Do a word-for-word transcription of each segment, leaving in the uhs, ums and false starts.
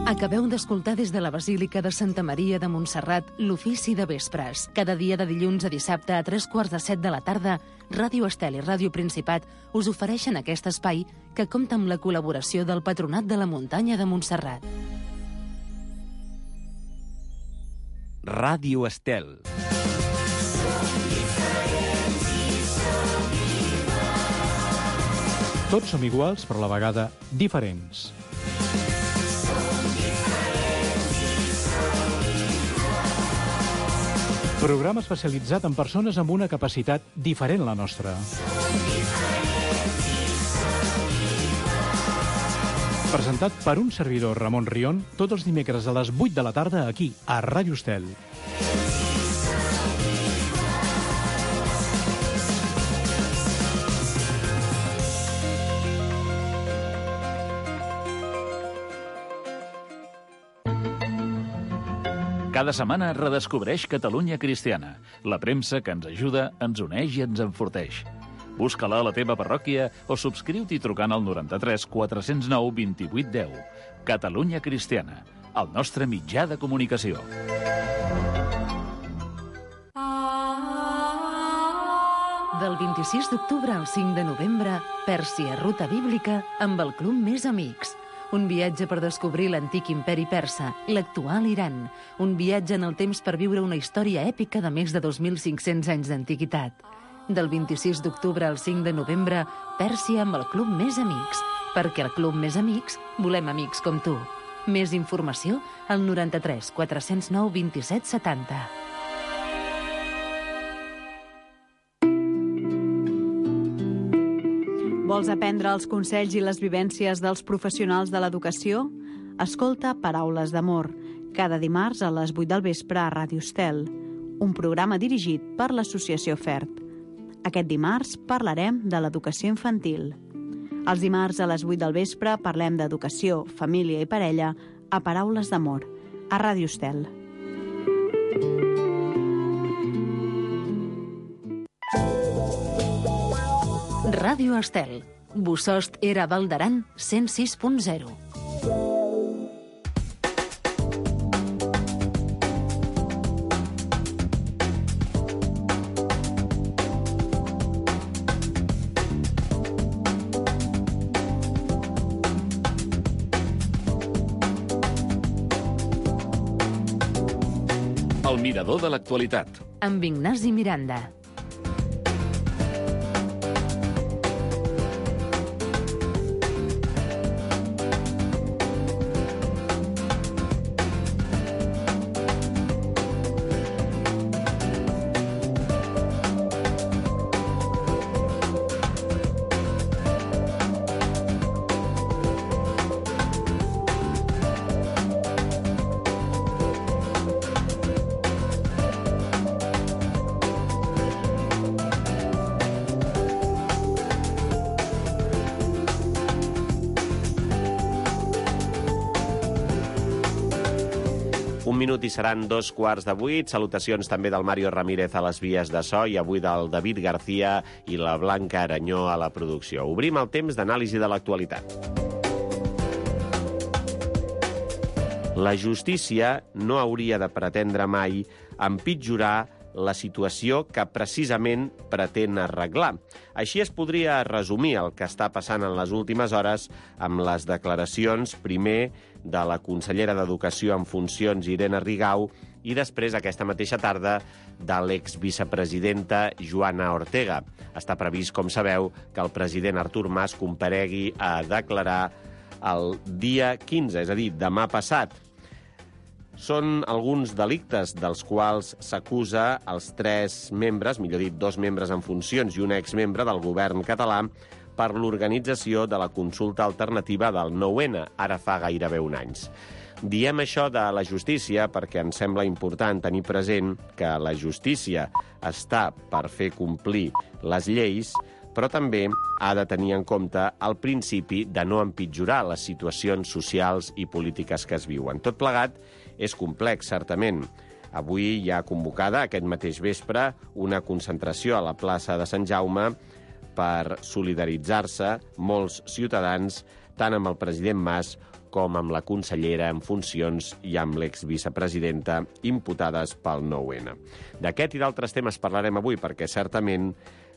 Acabeu d'escoltar des de la Basílica de Santa Maria de Montserrat l'ofici de vespres. Cada dia de dilluns a dissabte a tres quarts de set de la tarda, Ràdio Estel i Ràdio Principat us ofereixen aquest espai que compta amb la col·laboració del Patronat de la Muntanya de Montserrat. Ràdio Estel. Tots som iguals, però a la vegada diferents. Programa especialitzat en persones amb una capacitat diferent a la nostra. Presentat per un servidor, Ramon Rion, tots els dimecres a les vuit de la tarda aquí, a Ràdio Estel. Cada setmana redescobreix Catalunya Cristiana, la premsa que ens ajuda, ens uneix i ens enforteix. Busca-la a la teva parròquia o subscriu-t'hi trucant al noranta-tres quatre cents nou vint-i-vuit deu. Catalunya Cristiana, el nostre mitjà de comunicació. Del vint-i-sis d'octubre al cinc de novembre, Pèrsia, ruta bíblica amb el Club Més Amics. Un viatge per descobrir l'antic imperi persa, l'actual Iran. Un viatge en el temps per viure una història èpica de més de dos mil cinc-cents anys d'antiguitat. Del vint-i-sis d'octubre al cinc de novembre, Pèrsia amb el Club Més Amics. Perquè al Club Més Amics volem amics com tu. Més informació al noranta-tres quatre cents nou vint-i-set setanta. Vols aprendre els consells i les vivències dels professionals de l'educació? Escolta Paraules d'Amor, cada dimarts a les vuit del vespre a Ràdio Estel, un programa dirigit per l'Associació FERP. Aquest dimarts parlarem de l'educació infantil. Els dimarts a les vuit del vespre parlem d'educació, família i parella a Paraules d'Amor, a Ràdio Estel. Ràdio Estel. Bosost era Val d'Aran cent sis punt zero. El mirador de l'actualitat. Amb Ignasi Miranda. Un minut i seran dos quarts de vuit. Salutacions també del Mario Ramírez a les vies de so i avui del David García i la Blanca Aranyó a la producció. Obrim el temps d'anàlisi de l'actualitat. La justícia no hauria de pretendre mai empitjorar la situació que precisament pretén arreglar. Així es podria resumir el que està passant en les últimes hores amb les declaracions, primer, de la consellera d'Educació en funcions, Irene Rigau, i després, aquesta mateixa tarda, de l'exvicepresidenta Joana Ortega. Està previst, com sabeu, que el president Artur Mas comparegui a declarar el dia quinze, és a dir, demà passat. Són alguns delictes dels quals s'acusa els tres membres, millor dit, dos membres en funcions i un exmembre del govern català per l'organització de la consulta alternativa del nou ene, ara fa gairebé un any. Diem això de la justícia perquè ens sembla important tenir present que la justícia està per fer complir les lleis, però també ha de tenir en compte el principi de no empitjorar les situacions socials i polítiques que es viuen. Tot plegat és complex, certament. Avui hi ha convocada, aquest mateix vespre, una concentració a la plaça de Sant Jaume per solidaritzar-se molts ciutadans tant amb el president Mas com amb la consellera en funcions i amb l'exvicepresidenta imputades pel nou ene. D'aquest i d'altres temes parlarem avui, perquè certament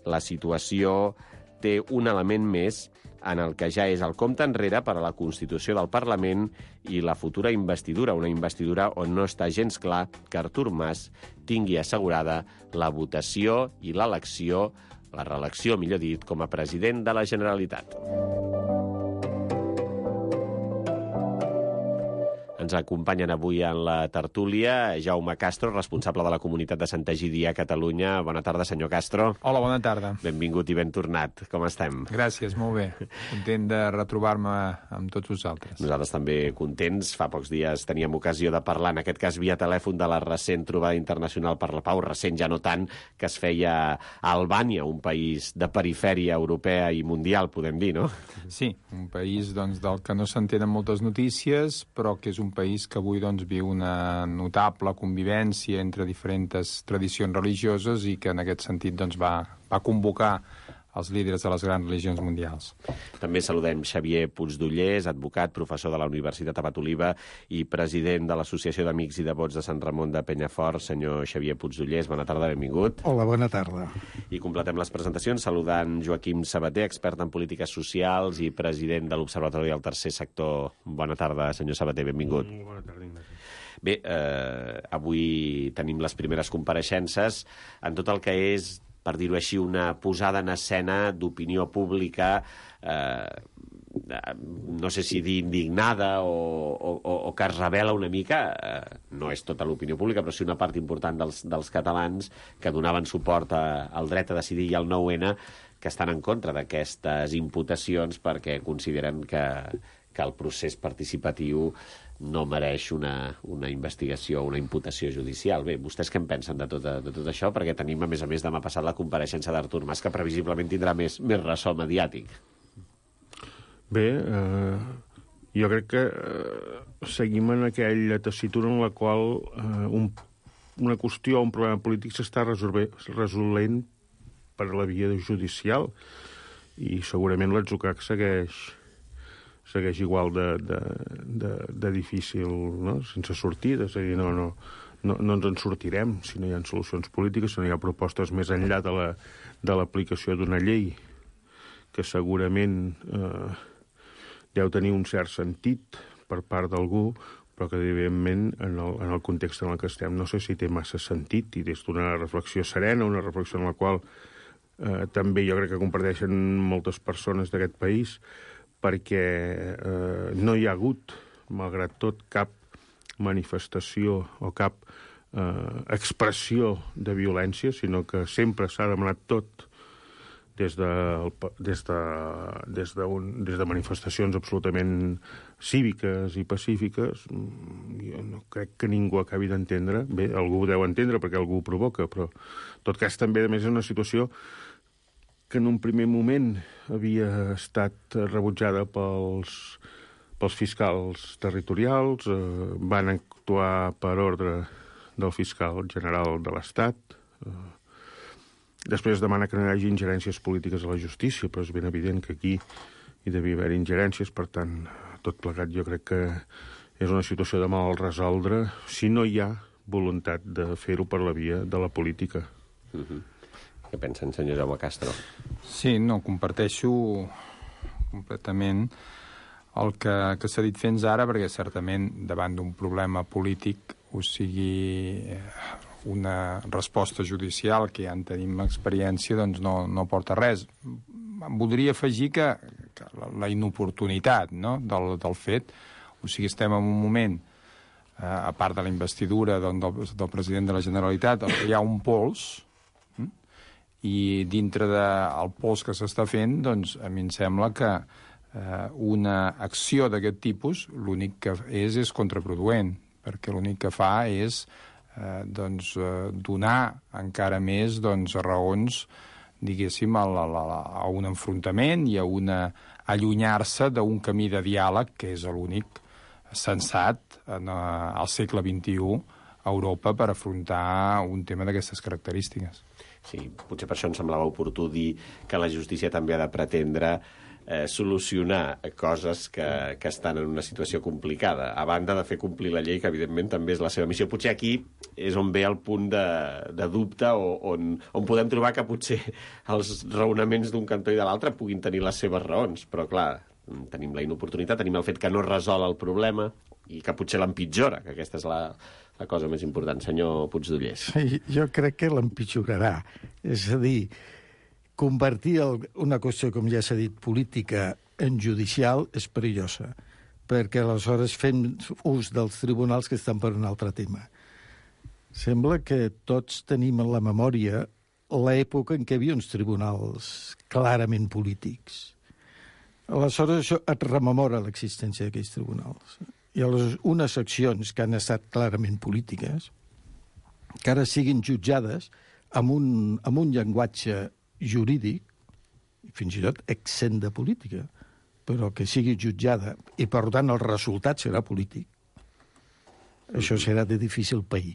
la situació té un element més en el que ja és el compte enrere per a la Constitució del Parlament i la futura investidura, una investidura on no està gens clar que Artur Mas tingui assegurada la votació i l'elecció, la reelecció, millor dit, com a president de la Generalitat. Ens acompanyen avui en la tertúlia Jaume Castro, responsable de la comunitat de Sant Egidi a Catalunya. Bona tarda, senyor Castro. Hola, bona tarda. Benvingut i ben tornat. Com estem? Gràcies, molt bé. Content de retrobar-me amb tots vosaltres. Nosaltres també contents. Fa pocs dies teníem ocasió de parlar, en aquest cas via telèfon, de la recent trobada internacional per la pau, recent ja no tant, que es feia a Albània, un país de perifèria europea i mundial, podem dir, no? Sí, un país doncs, del que no s'entenen moltes notícies, però que és un país que avui doncs, viu una notable convivència entre diferents tradicions religioses i que en aquest sentit doncs, va, va convocar els líders de les grans religions mundials. També saludem Xavier Puigdollers, advocat, professor de la Universitat Abat Oliva i president de l'Associació d'Amics i Devots de Sant Ramon de Penyafort. Senyor Xavier Puigdollers, bona tarda, benvingut. Hola, bona tarda. I completem les presentacions saludant Joaquim Sabater, expert en polítiques socials i president de l'Observatori del Tercer Sector. Bona tarda, senyor Sabater, benvingut. Mm, bona tarda, Ignasi. Bé, eh, avui tenim les primeres compareixences en tot el que és, per dir-ho així, una posada en escena d'opinió pública, eh, no sé si dir indignada o, o, o que es revela una mica, eh, no és tota l'opinió pública, però sí una part important dels, dels catalans que donaven suport a, al dret a decidir i al nou ene, que estan en contra d'aquestes imputacions perquè consideren que, que el procés participatiu no mereix una, una investigació o una imputació judicial. Bé, vostès què en pensen de tot, de tot això? Perquè tenim, a més a més, demà passat la compareixença d'Artur Mas, que previsiblement tindrà més, més ressò mediàtic. Bé, eh, jo crec que eh, seguim en aquella tessitura en la qual eh, un, una qüestió o un problema polític s'està resolent per la via judicial i segurament l'Atzucac segueix segueix igual de, de, de, de difícil, no? Sense sortida. És a dir, no, no, no, no ens en sortirem si no hi ha solucions polítiques, si no hi ha propostes més enllà de la, de l'aplicació d'una llei que segurament eh, deu tenir un cert sentit per part d'algú, però que, evidentment, en el, en el context en el que estem no sé si té massa sentit, i des d'una reflexió serena, una reflexió en la qual eh, també jo crec que comparteixen moltes persones d'aquest país, perquè eh, no hi ha hagut, malgrat tot, cap manifestació o cap eh, expressió de violència, sinó que sempre s'ha demanat tot des de, des de, des de, un, des de manifestacions absolutament cíviques i pacífiques. Jo no crec que ningú acabi d'entendre. Bé, algú ho deu entendre perquè algú ho provoca, però en tot cas també, a més, és una situació que en un primer moment havia estat rebutjada pels, pels fiscals territorials, eh, van actuar per ordre del fiscal general de l'Estat. Eh, després es demana que no hi hagi ingerències polítiques a la justícia, però és ben evident que aquí hi devia haver ingerències, per tant, tot plegat jo crec que és una situació de mal resoldre si no hi ha voluntat de fer-ho per la via de la política. Mm-hmm. Què pensen, senyor Jaume Castro? Sí, no, comparteixo completament el que, que s'ha dit fins ara, perquè certament davant d'un problema polític, o sigui una resposta judicial, que ja en tenim experiència, doncs no, no porta res. Em voldria afegir que, que la, la inoportunitat, no?, del, del fet, o sigui, estem en un moment, eh, a part de la investidura doncs, del, del president de la Generalitat, hi ha un pols, i dintre del pols que s'està fent, doncs, a mi em sembla que eh, una acció d'aquest tipus l'únic que és és contraproduent, perquè l'únic que fa és eh, doncs, eh, donar encara més doncs, raons, diguéssim, a, la, la, a un enfrontament i a una allunyar-se d'un camí de diàleg que és l'únic sensat en, eh, al segle vint-i-u a Europa per afrontar un tema d'aquestes característiques. Sí, potser per això em semblava oportú dir que la justícia també ha de pretendre eh, solucionar coses que, que estan en una situació complicada, a banda de fer complir la llei, que evidentment també és la seva missió. Potser aquí és on ve el punt de, de dubte, o, on, on podem trobar que potser els raonaments d'un cantó i de l'altre puguin tenir les seves raons, però clar, tenim la inoportunitat, tenim el fet que no resol el problema i que potser l'empitjora, que aquesta és la, la cosa més important. Senyor Puigdollers. Sí, jo crec que l'empitjorarà. És a dir, convertir el, una qüestió, com ja s'ha dit, política en judicial és perillosa, perquè aleshores fem ús dels tribunals que estan per un altre tema. Sembla que tots tenim en la memòria l'època en què hi havia uns tribunals clarament polítics. Aleshores això et rememora l'existència d'aquells tribunals. I aleshores unes accions que han estat clarament polítiques, que ara siguin jutjades amb un, amb un llenguatge jurídic, fins i tot exempt de política, però que sigui jutjada, i per tant el resultat serà polític, això serà de difícil pair.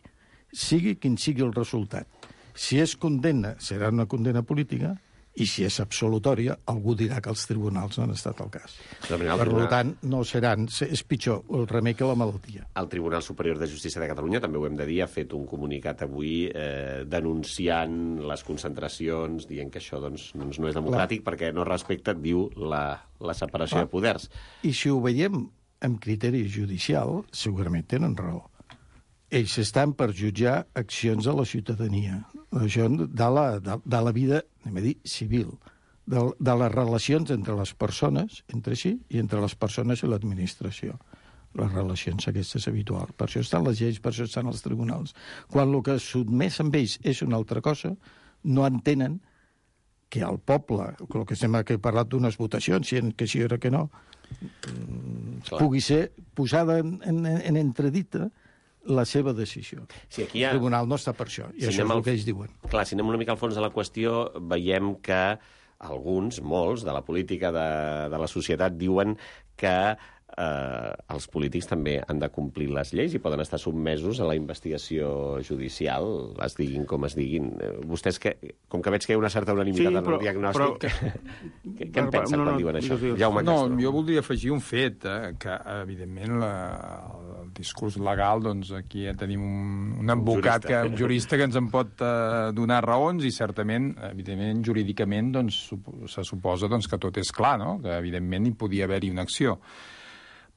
Sigui quin sigui el resultat. Si és condemna, serà una condemna política, i si és absolutòria, algú dirà que els tribunals no han estat el cas. Per tribunal... tant, no seran, és pitjor el remei que la malaltia. El Tribunal Superior de Justícia de Catalunya, també ho hem de dir, ha fet un comunicat avui eh, denunciant les concentracions, dient que això doncs, doncs no és democràtic, clar, perquè no respecta, diu, la, la separació clar. de poders. I si ho veiem amb criteri judicial, segurament tenen raó. Ells estan per jutjar accions de la ciutadania, això de la, de, de la vida, anem a dir, civil, de, de les relacions entre les persones, entre si, i entre les persones i l'administració. Les relacions aquestes habituals. Per això estan les lleis, per això estan els tribunals. Quan el que sotmès amb ells és una altra cosa, no entenen que el poble, el que sembla que he parlat d'unes votacions, si que sí o que no, Clar. pugui ser posada en, en, en entredita la seva decisió. Sí, aquí ha... El tribunal no està per això, i si això és el al... que ells diuen. Clar, si anem una mica al fons de la qüestió, veiem que alguns, molts, de la política, de, de la societat, diuen que eh, els polítics també han de complir les lleis i poden estar sotmesos a la investigació judicial, es diguin com es diguin. Vostès, que, com que veig que hi ha una certa unanimitat sí, però, en el diagnòstic, però... què, què en pensen no, no, quan diuen això? Jaume no, Castro. Jo voldria afegir un fet, eh, que evidentment la, el discurs legal, doncs aquí ja tenim un, un advocat, un jurista. Que, un jurista que ens en pot eh, donar raons i certament, evidentment, jurídicament, doncs, se suposa doncs, que tot és clar, no? Que evidentment hi podia haver-hi una acció.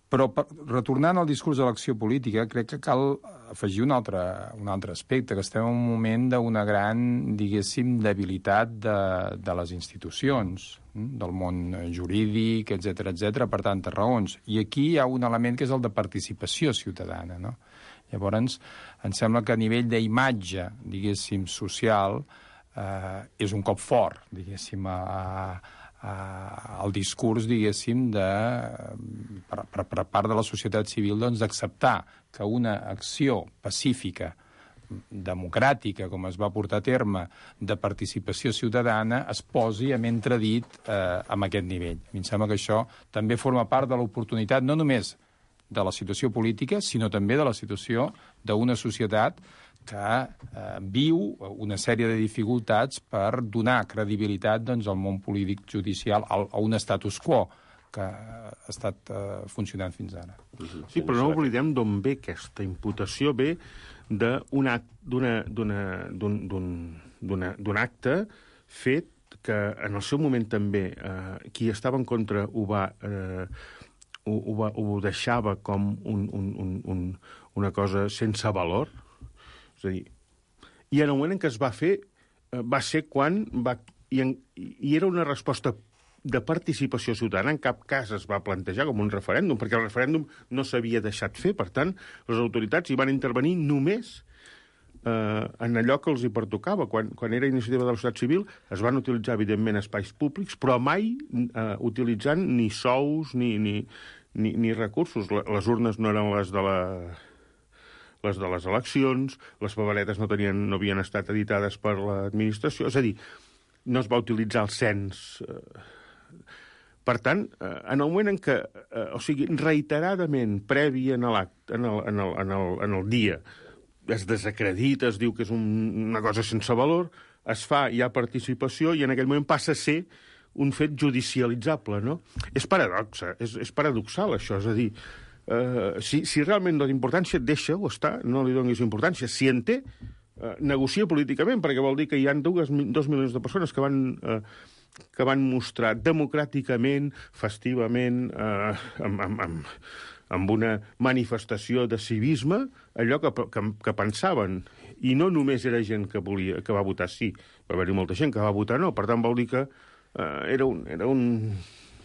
Però, per, retornant al discurs de l'acció política, crec que cal afegir un altre, un altre aspecte, que estem en un moment d'una gran, diguéssim, debilitat de, de les institucions, del món jurídic, etcètera, etcètera, per tantes raons. I aquí hi ha un element que és el de participació ciutadana, no? Llavors, em sembla que a nivell d'imatge, diguéssim, social, eh, és un cop fort, diguéssim, a... a Uh, el discurs, diguéssim, de, per, per, per part de la societat civil, doncs, d'acceptar que una acció pacífica, democràtica, com es va portar a terme, de participació ciutadana, es posi amb entredit eh, amb aquest nivell. A mi em sembla que això també forma part de l'oportunitat, no només de la situació política, sinó també de la situació d'una societat que eh, viu una sèrie de dificultats per donar credibilitat doncs, al món polític judicial, a, a un status quo que ha estat eh, funcionant fins ara. Sí, però no oblidem d'on ve aquesta imputació, ve d'un acte fet que en el seu moment també eh, qui estava en contra ho va... Eh, ho, ho, va, ho deixava com un, un, un, un, una cosa sense valor. És a dir, i en el moment en què es va fer, eh, va ser quan va... I, en, I era una resposta de participació ciutadana, en cap cas es va plantejar com un referèndum, perquè el referèndum no s'havia deixat fer, per tant, les autoritats hi van intervenir només eh, en allò que els hi pertocava. Quan, quan era iniciativa de la societat civil es van utilitzar, evidentment, espais públics, però mai eh, utilitzant ni sous ni, ni, ni, ni recursos. Les urnes no eren les de la... les de les eleccions, les paperetes no, tenien, no havien estat editades per l'administració, és a dir, no es va utilitzar el cens. Per tant, en el moment en què, o sigui, reiteradament, previ en l'acte, en, el, en, el, en, el, en el dia, es desacredita, es diu que és un, una cosa sense valor, es fa, hi ha participació, i en aquell moment passa a ser un fet judicialitzable, no? És paradoxa, és, és paradoxal, això, és a dir, eh, si, si realment no té importància, deixa-ho estar, no li donis importància. Si en té, eh, negocia políticament, perquè vol dir que hi ha dues, dos milions de persones que van... Eh, que van mostrar democràticament, festivament, eh, amb, amb, amb, amb una manifestació de civisme, allò que, que, que pensaven. I no només era gent que, volia, que va votar sí, va haver-hi molta gent que va votar no. Per tant, vol dir que eh, era un... Era un...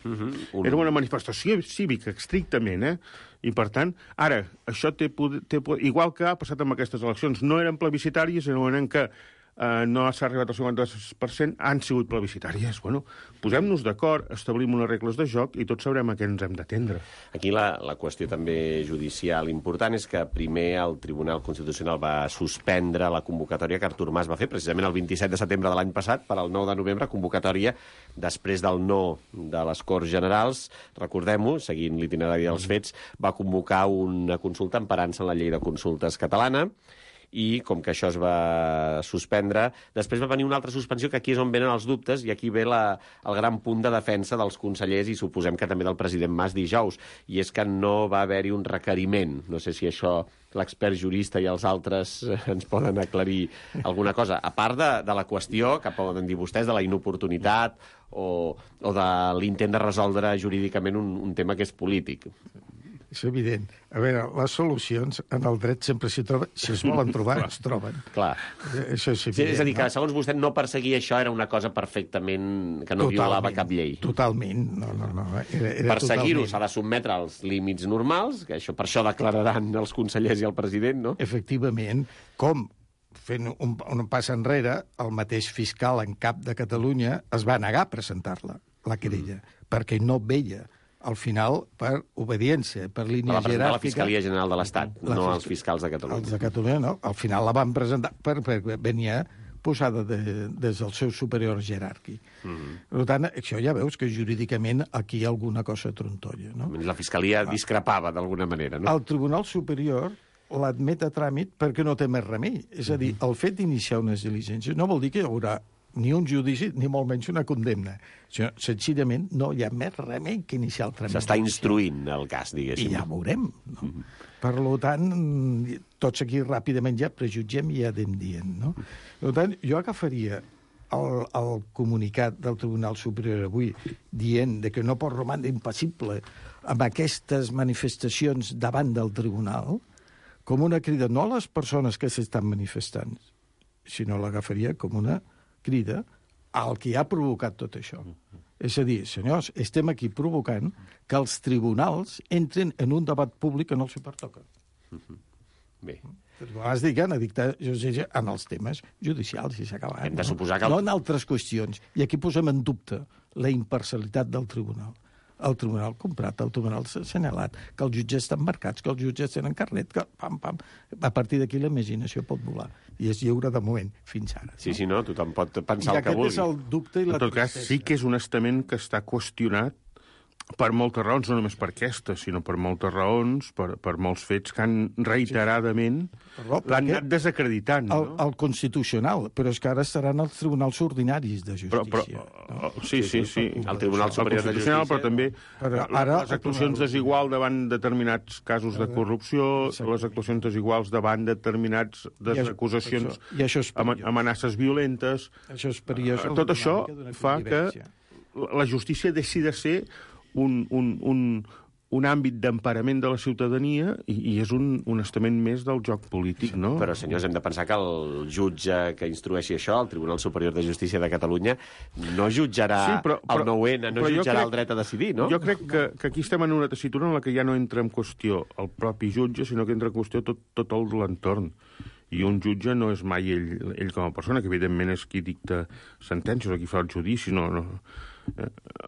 Uh-huh. Un... Era una manifestació cívica, estrictament, eh? I, per tant, ara, això té, té... Igual que ha passat amb aquestes eleccions, no eren plebiscitàries, en el moment en què Uh, no s'ha arribat al cinquanta per cent, han sigut plebiscitàries. Bueno, posem-nos d'acord, establim unes regles de joc i tots sabrem a què ens hem d'atendre. Aquí la, la qüestió també judicial important és que primer el Tribunal Constitucional va suspendre la convocatòria que Artur Mas va fer precisament el vint-i-set de setembre de l'any passat per al nou de novembre, convocatòria després del no de les Corts Generals. Recordem-ho, seguint l'itinerari dels fets, va convocar una consulta emparant-se en la llei de consultes catalana, i com que això es va suspendre, després va venir una altra suspensió, que aquí és on venen els dubtes, i aquí ve la, el gran punt de defensa dels consellers, i suposem que també del president Mas dijous, i és que no va haver-hi un requeriment. No sé si això l'expert jurista i els altres ens poden aclarir alguna cosa, a part de, de la qüestió, que poden dir vostès, de la inoportunitat o, o de l'intent de resoldre jurídicament un, un tema que és polític. És evident. A veure, les solucions en el dret sempre s'hi troben. Si es volen trobar, es troben. Clar. Això és evident. Sí, és a dir, que no? segons vostè no perseguir això era una cosa perfectament... que no totalment, violava cap llei. Totalment. No, no, no. Era, era perseguir-ho s'ha de sotmetre als límits normals, que això per això declararan els consellers i el president, no? Efectivament. Com, fent un, un pas enrere, el mateix fiscal en cap de Catalunya es va negar a presentar-la, la querella, mm. perquè no veia al final, per obediència, per línia jeràrquica... La Fiscalia General de l'Estat, no els fiscals de Catalunya. Els de Catalunya, no. Al final la van presentar perquè per, venia posada de, des del seu superior jeràrquic. Mm-hmm. Per tant, això ja veus que jurídicament aquí hi ha alguna cosa trontolla, no? La Fiscalia discrepava d'alguna manera, no? El Tribunal Superior l'admet a tràmit perquè no té més remei. És a dir, el fet d'iniciar unes diligències no vol dir que hi haurà ni un judici, ni molt menys una condemna. Senzillament, no hi ha més remei que iniciar el tràmit. S'està instruint el cas, diguéssim. I ja veurem, no? Mm-hmm. Per tant, tots aquí ràpidament ja prejutgem i ja anem dient, no? Per tant, jo agafaria el, el comunicat del Tribunal Superior avui dient de que no pot romandre impassible amb aquestes manifestacions davant del tribunal com una crida no a les persones que s'estan manifestant, sinó l'agafaria com una crida al que ha provocat tot això. És a dir, senyors, estem aquí provocant que els tribunals entren en un debat públic que no els hi pertoca. Bé. Has dit que han de dictar justícia en els temes judicials, i s'ha acabat. Hem de suposar que... El... No en altres qüestions. I aquí posem en dubte la imparcialitat del tribunal. El tribunal comprat, el tribunal assenyalat, que els jutges estan marcats, que els jutges tenen carnet, que pam, pam. A partir d'aquí la imaginació pot volar. I és lliure de moment, fins ara. Sí, no? sí, no? Tothom pot pensar I el que vulgui. I aquest és el dubte i la tristesa. En tot cas, sí que és un estament que està qüestionat per moltes raons, no només per aquesta, sinó per moltes raons, per, per molts fets que han reiteradament sí. l'han anat desacreditant. No? El, el Constitucional, però és que ara estaran els tribunals ordinaris de justícia. Però, però, no? Sí, sí, sí. El Tribunal Superior de Justícia. Però també però ara, les actuacions desiguals davant determinats casos de corrupció, exacte. Les actuacions desiguals davant determinats acusacions, amenaces violentes. Això és perillós. Tot això fa que la justícia deixi de ser un, un, un, un àmbit d'emparament de la ciutadania i, i és un, un estament més del joc polític, no? Però, senyors, hem de pensar que el jutge que instrueixi això, el Tribunal Superior de Justícia de Catalunya, no jutjarà sí, però, però, el nou ene, no jutjarà crec, el dret a decidir, no? Jo crec que, que aquí estem en una tessitura en la que ja no entra en qüestió el propi jutge, sinó que entra en qüestió tot, tot l'entorn. I un jutge no és mai ell, ell com a persona, que evidentment és qui dicta sentències o qui fa el judici, no... no. Eh,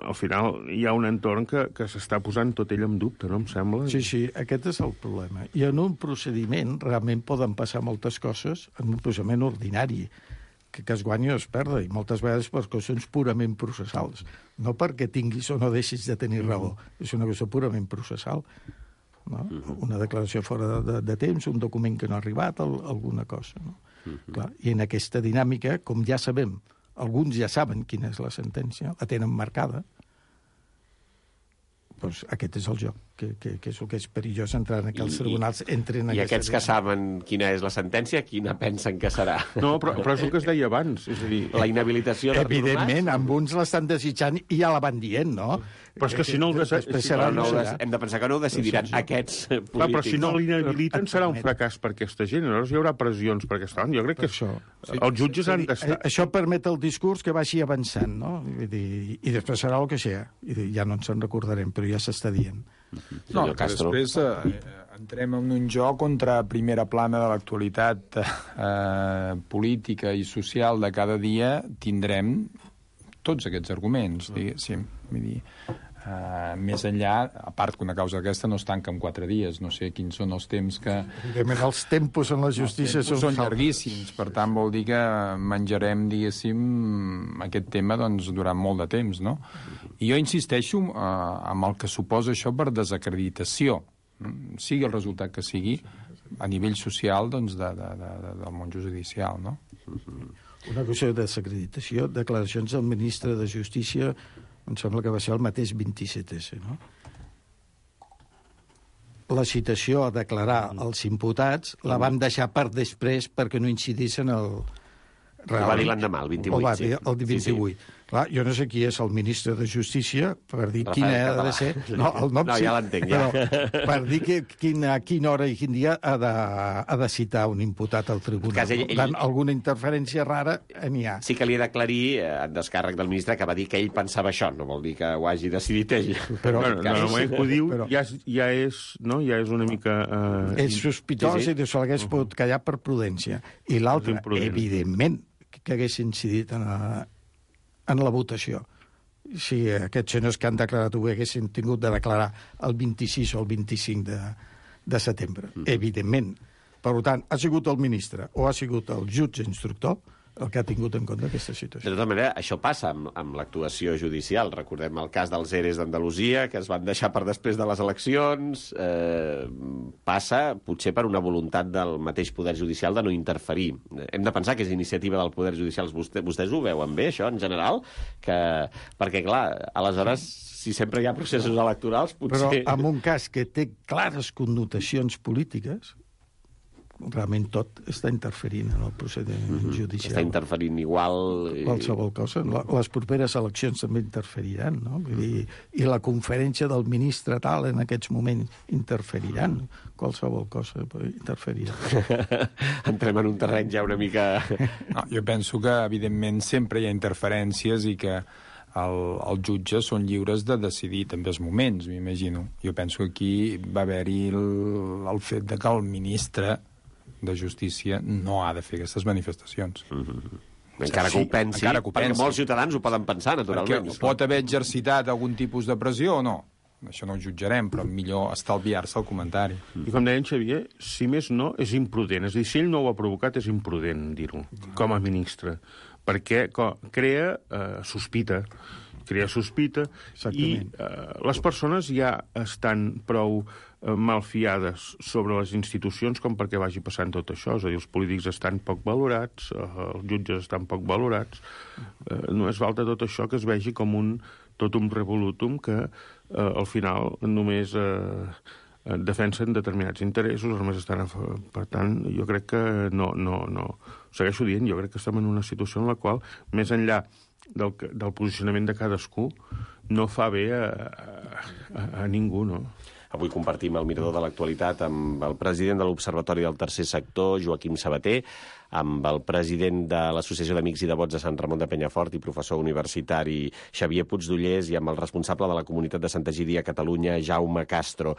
al final hi ha un entorn que, que s'està posant tot ell en dubte, no em sembla? Sí, sí, aquest és el problema. I en un procediment realment poden passar moltes coses, en un procediment ordinari, que, que es guanyi o es perda, i moltes vegades per qüestions purament processals. No perquè tinguis o no deixis de tenir raó, és una cosa purament processal. No? Una declaració fora de, de, de temps, un document que no ha arribat, el, alguna cosa. No? Uh-huh. Clar, i en aquesta dinàmica, com ja sabem, alguns ja saben quina és la sentència, la tenen marcada, doncs aquest és el joc, que, que, que és el que és perillós entrar en aquells tribunals. Entren I aquests que saben quina és la sentència, quina pensen que serà? No, però, però és el que es deia abans. És a dir, la inhabilitació d'Artur Mas? Evidentment, amb uns l'estan desitjant i ja la van dient, no? Però és que si no el desa... Després si serà, no, no no, serà. hem de pensar que no ho decidiran aquests polítics. Clar, però si no No, l'inhabiliten però- serà un fracàs per aquesta gent. Llavors hi haurà pressions per aquesta banda. Jo crec que això. els jutges han d'estar... Això permet el discurs que vagi avançant, no? Vull dir, i després serà el que sigui. I ja no ens en recordarem, però ja s'està dient. No, que després eh, entrem en un joc contra primera plana de l'actualitat eh, política i social de cada dia tindrem tots aquests arguments, diguéssim. Vull dir, uh, més enllà, a part que una causa d'aquesta no es tanca en quatre dies, no sé quins són els temps que... Evidentment, els tempos en la justícia els són llarguíssims, per tant vol dir que menjarem, diguéssim, aquest tema doncs, durant molt de temps, no? I jo insisteixo uh, amb el que suposa això per desacreditació, sigui el resultat que sigui, a nivell social doncs, de, de, de, de, del món judicial, no? Una qüestió de desacreditació, declaracions del ministre de Justícia, em sembla que va ser el mateix vint-i-set esse, no? La citació a declarar els imputats la van deixar per després perquè no incidís en el... Ho va dir l'endemà, el vint-i-vuit. Ho va dir el vint-i-vuit. Sí, sí. Clar, jo no sé qui és el ministre de Justícia per dir Rafael quina ha Català. de ser... No, el nom No, sí, ja l'entenc, ja. Però per dir que, quina, a quina hora i quin dia ha de, ha de citar un imputat al tribunal. Cas, ell- Per tant, ell- alguna interferència rara n'hi ha. Sí que li he d'aclarir, eh, en descàrrec del ministre, que va dir que ell pensava això, no vol dir que ho hagi decidit ell. Però- Bueno, en el moment que ho diu, Però- ja, és, ja, és, no? ja és una mica... Eh, És sospitós Sí, sí. i se l'hagués pogut callar per prudència. I l'altre, És imprudent. evidentment, que hagués incidit en la, en la votació. Si aquests senyors que han declarat ho haguessin tingut de declarar el vint-i-sis o el vint-i-cinc de, de setembre. Mm. Evidentment. Per tant, ha sigut el ministre o ha sigut el jutge instructor el que ha tingut en compte aquesta De situació. tota manera, això passa amb, amb l'actuació judicial. Recordem el cas dels eres d'Andalusia, que es van deixar per després de les eleccions. Eh, passa, potser per una voluntat del mateix poder judicial de no interferir. Hem de pensar que és iniciativa del poder judicial. Vostè, vostès ho veuen bé, això, en general? Que, perquè, clar, aleshores, si sempre hi ha processos electorals, Però potser... en un cas que té clares connotacions polítiques, realment tot està interferint en el procediment mm-hmm. judicial. Està interferint igual... I... Qualsevol cosa. La- Les properes eleccions també interferiran, no? Vull dir, i la conferència del ministre tal en aquests moments interferiran. Qualsevol cosa interferirà. Entrem en un terreny ja una mica... No, jo penso que, evidentment, sempre hi ha interferències i que el, els jutges són lliures de decidir també els moments, m'imagino. Jo penso que aquí va haver-hi el, el fet de que el ministre de Justícia no ha de fer aquestes manifestacions. Mm-hmm. Encara que Sí, ho pensi, encara que ho perquè pensi. molts ciutadans ho poden pensar, naturalment. Perquè pot haver exercitat algun tipus de pressió o no? Això no ho jutjarem, però millor estalviar-se el comentari. I com deia en Xavier, si més no, és imprudent. És a dir, si ell no ho ha provocat, és imprudent dir-ho, com a ministre. Perquè co, crea eh, sospita, crea sospita, i eh, les persones ja estan prou eh, malfiades sobre les institucions com perquè vagi passant tot això. És a dir, els polítics estan poc valorats, eh, els jutges estan poc valorats. Eh, no és falta tot això que es vegi com un totum revolutum que eh, al final només eh, defensen determinats interessos, només estan a... Per tant, jo crec que no, no, no... Segueixo dient, jo crec que estem en una situació en la qual, més enllà del, del posicionament de cadascú, no fa bé a, a, a ningú, no? Avui compartim el mirador de l'actualitat amb el president de l'Observatori del Tercer Sector, Joaquim Sabater, amb el president de l'Associació d'Amics i Devots de Sant Ramon de Penyafort i professor universitari Xavier Puigdollers i amb el responsable de la comunitat de Santa Egídia a Catalunya, Jaume Castro.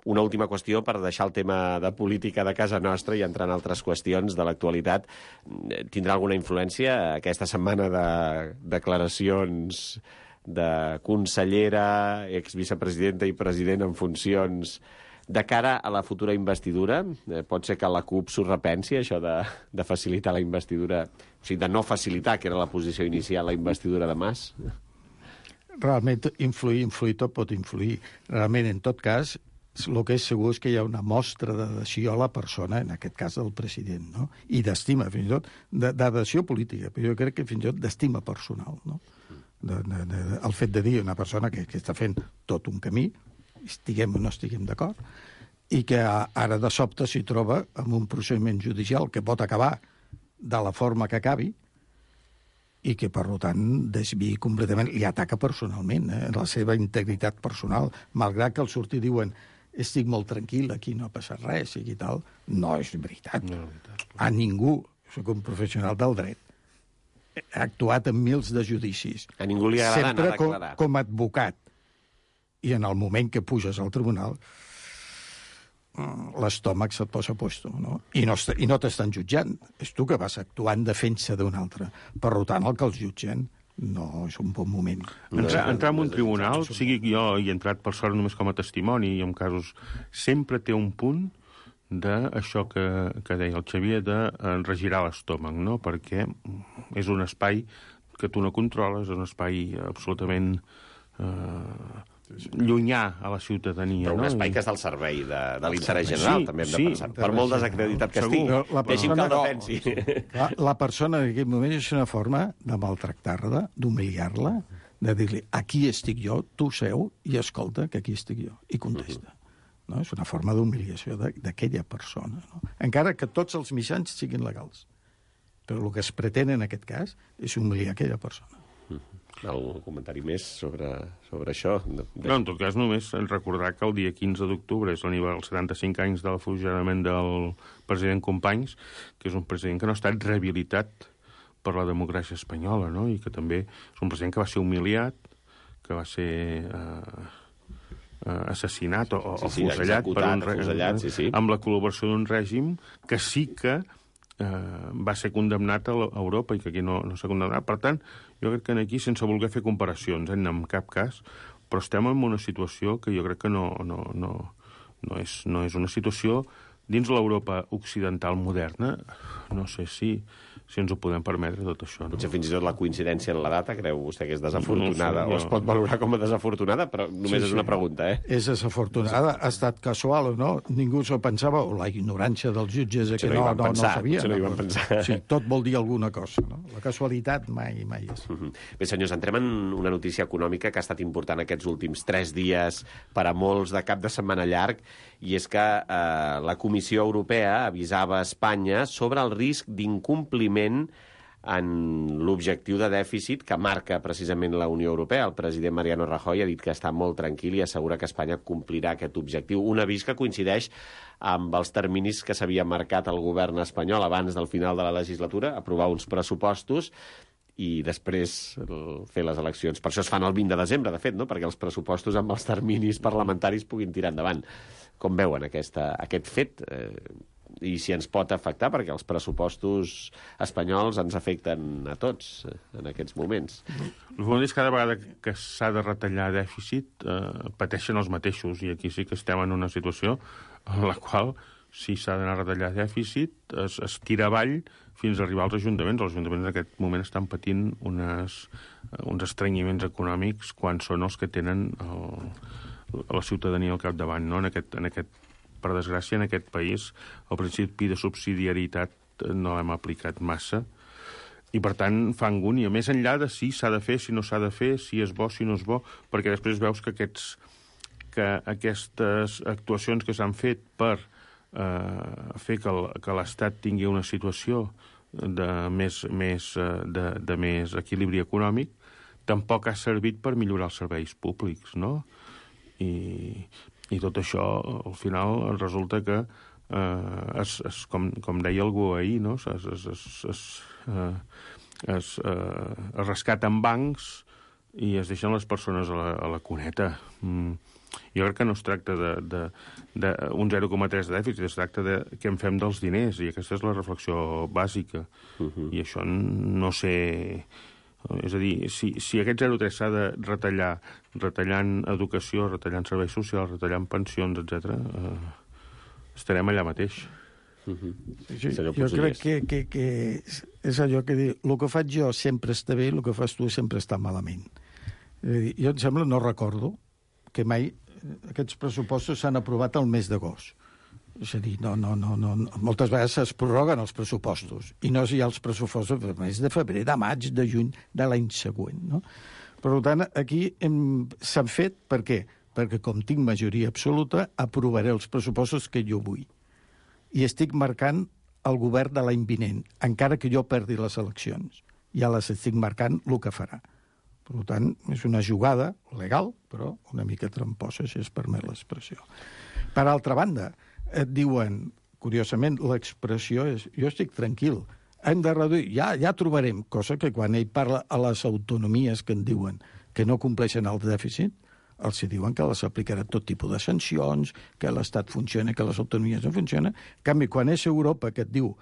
Una última qüestió per deixar el tema de política de casa nostra i entrar en altres qüestions de l'actualitat. Tindrà alguna influència aquesta setmana de declaracions de consellera, exvicepresidenta i president en funcions de cara a la futura investidura? Eh, pot ser que la CUP s'ho repensi, això de, de facilitar la investidura, o sigui, de no facilitar, que era la posició inicial, la investidura de Mas? Realment, influir, influir, tot pot influir. Realment, en tot cas, el que és segur és que hi ha una mostra d'adhesió a la persona, en aquest cas del president, no? I d'estima, fins i tot, d'adhesió política, però jo crec que fins i tot d'estima personal, no? De, de, de, el fet de dir una persona que, que està fent tot un camí, estiguem o no estiguem d'acord, i que ara de sobte s'hi troba amb un procediment judicial que pot acabar de la forma que acabi, i que, per tant, desviï completament, li ataca personalment, eh, la seva integritat personal, malgrat que al sortir diuen estic molt tranquil, aquí no ha passat res, i tal. No és veritat. No, veritat. A ningú, soc un professional del dret, ha actuat en mils de judicis. A ningú li agrada anar a declarar. Sempre com, com a advocat. I en el moment que puges al tribunal, l'estómac se't posa a puesto, no? I no, i no t'estan jutjant. És tu que vas actuar en defensa d'un altre. Per tant, el que els jutgen no és un bon moment. Entrar, entrar en un tribunal, sigui jo hi he entrat per sort només com a testimoni, i en casos sempre té un punt d'això que, que deia el Xavier, de regirar l'estómac, no? Perquè és un espai que tu no controles, és un espai absolutament eh, llunyà a la ciutadania. Però un no? espai que està al servei de, de l'interès general, sí, també hem de sí, pensar. Per molt desacreditat que estigui. Deixi'm que el defensi. La, la persona en aquest moment és una forma de maltractar-la, d'humiliar-la, de dir-li, aquí estic jo, tu seu, i escolta que aquí estic jo, i contesta. No? És una forma d'humiliació d'aquella persona. No? Encara que tots els mitjans siguin legals. Però el que es pretén en aquest cas és humiliar aquella persona. Algun comentari més sobre, sobre això? No, en tot cas, només recordar que el dia quinze d'octubre és l'aniversari dels setanta-cinc anys del fusilament del president Companys, que és un president que no ha estat rehabilitat per la democràcia espanyola, no? I que també és un president que va ser humiliat, que va ser eh, assassinat o, o sí, sí, fusellat, per un, fusellat sí, sí. amb la col·laboració d'un règim que sí que eh, va ser condemnat a Europa i que aquí no, no s'ha condemnat. Per tant, jo crec que aquí, sense voler fer comparacions, eh, en cap cas, però estem en una situació que jo crec que no, no, no, no, és, no és una situació dins l'Europa occidental moderna. No sé si, si ens ho podem permetre, tot això. No? Potser fins i tot la coincidència en la data, creu vostè que és desafortunada, no, no, no. o es pot valorar com a desafortunada, però només sí, és una sí. pregunta, eh? És desafortunada, ha estat casual o no, ningú s'ho pensava, o la ignorància dels jutges que no, no, no sabia. No, no, no sí, tot vol dir alguna cosa, no? La casualitat mai, mai és. Uh -huh. Bé, senyors, entrem en una notícia econòmica que ha estat important aquests últims tres dies per a molts de cap de setmana llarg, i és que eh, la Comissió Europea avisava a Espanya sobre el risc d'incompliment en l'objectiu de dèficit que marca precisament la Unió Europea. El president Mariano Rajoy ha dit que està molt tranquil i assegura que Espanya complirà aquest objectiu. Un avís que coincideix amb els terminis que s'havia marcat el govern espanyol abans del final de la legislatura, aprovar uns pressupostos i després fer les eleccions. Per això es fan el vint de desembre, de fet, no? Perquè els pressupostos amb els terminis parlamentaris puguin tirar endavant. Com veuen aquesta, aquest fet? Eh, I si ens pot afectar, perquè els pressupostos espanyols ens afecten a tots en aquests moments. El fons és que cada vegada que s'ha de retallar dèficit eh, pateixen els mateixos, i aquí sí que estem en una situació en la qual, si s'ha d'anar a retallar dèficit, es, es tira avall fins a arribar als ajuntaments. Els ajuntaments en aquest moment estan patint unes, uns estrenyiments econòmics quan són els que tenen el, la ciutadania al capdavant, no? En aquest, en aquest, per desgràcia, en aquest país, el principi de subsidiarietat no l'hem aplicat massa, i, per tant, fa angúnia. Més enllà de si s'ha de fer, si no s'ha de fer, si és bo, si no és bo, perquè després veus que, aquests, que aquestes actuacions que s'han fet per eh, fer que, el, que l'Estat tingui una situació de més, més, de, de més equilibri econòmic tampoc ha servit per millorar els serveis públics, no? I, i tot això, al final, resulta que eh, es, es, com, com deia algú ahir, no? es, es, es, es, eh, es, eh, es rescaten bancs i es deixen les persones a la, a la cuneta. Mm. Jo crec que no es tracta d'un zero coma tres de dèficit, es tracta de què en fem dels diners, i aquesta és la reflexió bàsica. Uh-huh. I això no sé... És a dir, si, si aquest zero coma tres s'ha de retallar, retallant educació, retallant serveis socials, retallant pensions, etcètera, eh, estarem allà mateix. Uh-huh. Sí, jo crec que, que, que és allò que diu, el que faig jo sempre està bé, el que fas tu sempre està malament. És a dir, jo, em sembla, no recordo que mai aquests pressupostos s'han aprovat al mes d'agost. És a dir, no, no, no, no, moltes vegades es prorroguen els pressupostos i no hi ha els pressupostos del mes de febrer, de maig, de juny, de l'any següent. No? Per tant, aquí s'han fet, per què? Perquè com tinc majoria absoluta, aprovaré els pressupostos que jo vull. I estic marcant el govern de l'any vinent, encara que jo perdi les eleccions. Ja les estic marcant el que farà. Per tant, és una jugada legal, però una mica tramposa, si es permet l'expressió. Per altra banda, et diuen, curiosament, l'expressió és jo estic tranquil, hem de reduir, ja, ja trobarem, cosa que quan ell parla a les autonomies que en diuen que no compleixen el dèficit, els diuen que les aplicarà tot tipus de sancions, que l'Estat funciona, que les autonomies no funcionen. En canvi, quan és Europa que et diu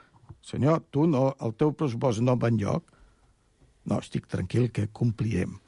senyor, tu no, el teu pressupost no va enlloc, no, estic tranquil que complirem.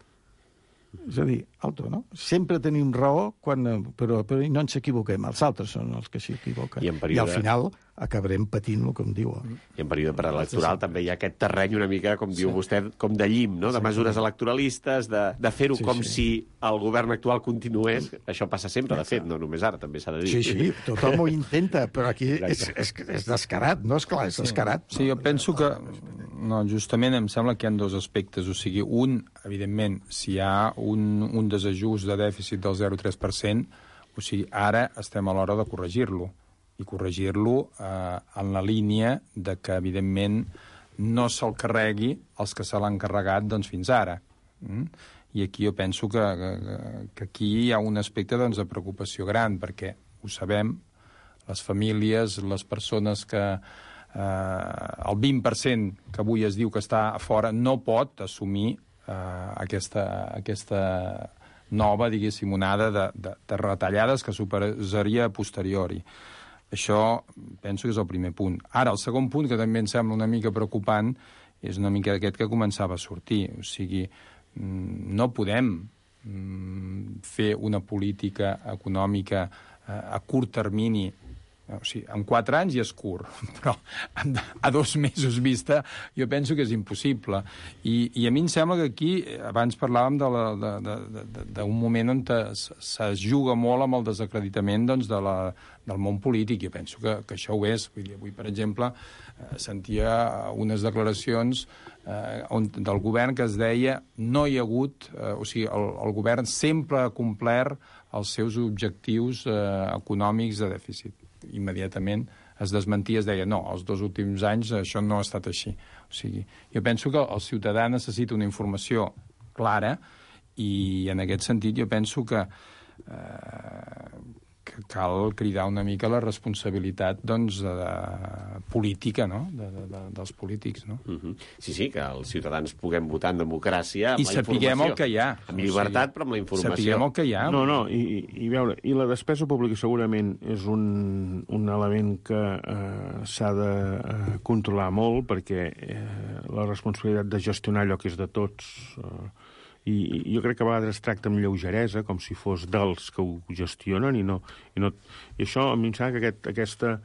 És a dir, alto, no? Sempre tenim raó, quan, però, però no ens equivoquem. Els altres són els que s'equivoquen. I, període... I al final acabarem patint-lo, com diu. I en període preelectoral també hi ha aquest terreny una mica, com diu sí. vostè, com de llim, no? De mesures electoralistes, de, de fer-ho sí, com sí. si el govern actual continués. Això passa sempre, de fet, no només ara, també s'ha de dir. Sí, sí, tothom ho intenta, però aquí és, és, és descarat, no? És clar, és descarat. Sí, jo penso que... No, justament em sembla que hi ha dos aspectes. O sigui, un, evidentment, si hi ha un, un desajust de dèficit del zero coma tres per cent, o sigui, ara estem a l'hora de corregir-lo. I corregir-lo eh, en la línia de que, evidentment, no se'l carregui els que se l'han carregat doncs, fins ara. Mm? I aquí jo penso que, que, que aquí hi ha un aspecte doncs, de preocupació gran, perquè ho sabem, les famílies, les persones que... Eh, el vint per cent que avui es diu que està a fora no pot assumir eh, aquesta, aquesta nova, diguéssim, onada de, de, de retallades que suposaria a posteriori. Això penso que és el primer punt. Ara, el segon punt, que també em sembla una mica preocupant, és una mica aquest que començava a sortir. O sigui, no podem fer una política econòmica a curt termini. O sigui, en quatre anys ja és curt, però a dos mesos vista jo penso que és impossible. I, i a mi em sembla que aquí, abans parlàvem d'un de de, de, de moment on es juga molt amb el desacreditament doncs, de la, del món polític. Jo penso que, que això ho és. Vull dir, avui, per exemple, eh, sentia unes declaracions eh, on, del govern que es deia no hi ha hagut... Eh, o sigui, el, el govern sempre ha complert els seus objectius eh, econòmics de dèficit. Immediatament es desmentia, es deia no, els dos últims anys això no ha estat així. O sigui, jo penso que el ciutadà necessita una informació clara i en aquest sentit jo penso que, eh, que cal cridar una mica la responsabilitat doncs, de, de política, no? de, de, de, dels polítics. No? Uh-huh. Sí, sí, que els ciutadans puguem votar en democràcia amb I la informació. I sapiguem el que hi ha. Amb llibertat, o sigui, però amb la informació. Sapiguem el que hi ha. No, no, i, i, veure, i la despesa pública segurament és un, un element que eh, s'ha de eh, controlar molt perquè eh, la responsabilitat de gestionar allò que és de tots... Eh, I, i jo crec que a vegades es tracta amb lleugeresa, com si fos dels que ho gestionen, i no... I, no, i això, a mi em sembla que aquest, aquesta,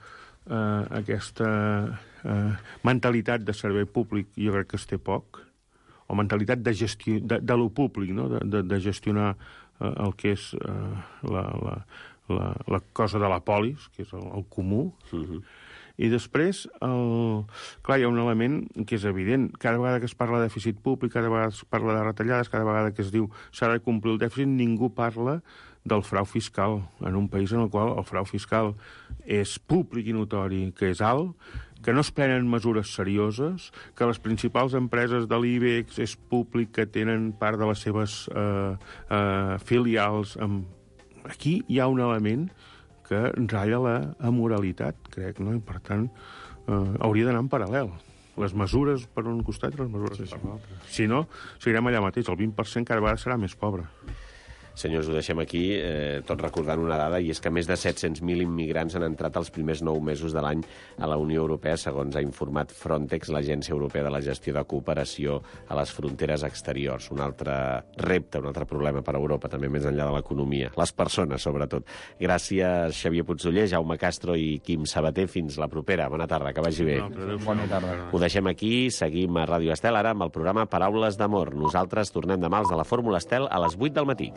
uh, aquesta uh, mentalitat de servei públic jo crec que es té poc, o mentalitat de, gestió, de, de lo públic, no? de, de, de gestionar uh, el que és uh, la, la, la, la cosa de la polis, que és el, el comú, uh-huh. I després, el... clar, hi ha un element que és evident. Cada vegada que es parla de dèficit públic, cada vegada es parla de retallades, cada vegada que es diu s'ha de complir el dèficit, ningú parla del frau fiscal, en un país en el qual el frau fiscal és públic i notori, que és alt, que no es prenen mesures serioses, que les principals empreses de l'IBEX és públic, que tenen part de les seves eh, eh, filials. Amb... Aquí hi ha un element que ratlla la amoralitat, crec, no? I, per tant, eh, hauria d'anar en paral·lel. Les mesures per un costat i les mesures sí, per l'altre. Si no, seguirem allà mateix. El vint per cent cada vegada serà més pobre. Senyors, ho deixem aquí, eh, tot recordant una dada, i és que més de set-cents mil immigrants han entrat els primers nou mesos de l'any a la Unió Europea, segons ha informat Frontex, l'Agència Europea de la Gestió de Cooperació a les Fronteres Exteriors. Un altre repte, un altre problema per a Europa, també més enllà de l'economia. Les persones, sobretot. Gràcies, Xavier Puigdoller, Jaume Castro i Quim Sabater. Fins la propera. Bona tarda, que vagi bé. Bona tarda. Ho deixem aquí, seguim a Ràdio Estel, ara amb el programa Paraules d'Amor. Nosaltres tornem demà als de la Fórmula Estel a les vuit del matí.